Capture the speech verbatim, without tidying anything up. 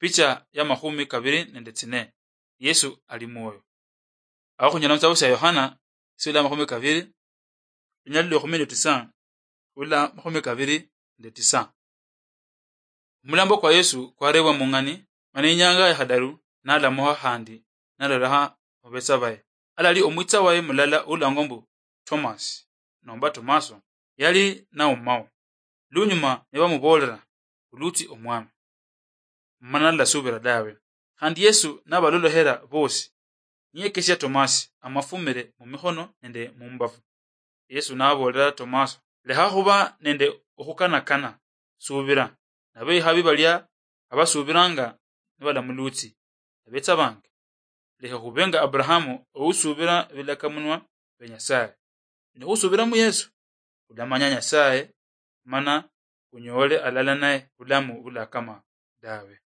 Picha ya makhumi kabiri nende tsine. Yesu ali mwoyo. Awo khunyala mutsitabu sia Yohana, sula makhumi kabiri, linyali lwa ekhumi nende tisa, ula makhumi kabiri nende tisa. Omulambo kwa Yesu kwarebwa mung'ani, mana inyanga ya khadaru nalamukha khandi nalolekha mubetsa baye. Alali omwitsa waye mulala ulangwa mbu Thomas, nomba Tomaso, yali naumao. Lunyuma nibamubolera, "Ulutsi Omwami," mana nalasubira dawe. Khandi Yesu nabalolohera bosi, niyekesia Tomasi amafumire mumikhono nende mumbafu. Yesu nabolera Tomaso, "Lekha khuba nende okhukanakana, subira." Nabo ikhabi balia abasubiranga nibalamulutsi, abetsa bange. Lekha khube nga Abrahamu, ousubira bilakamunwa bia Nyasaye. Nikhusubira mu Yesu, ulamanya Nyasaye, mana unyoole alala naye bulamu bulakama dawe.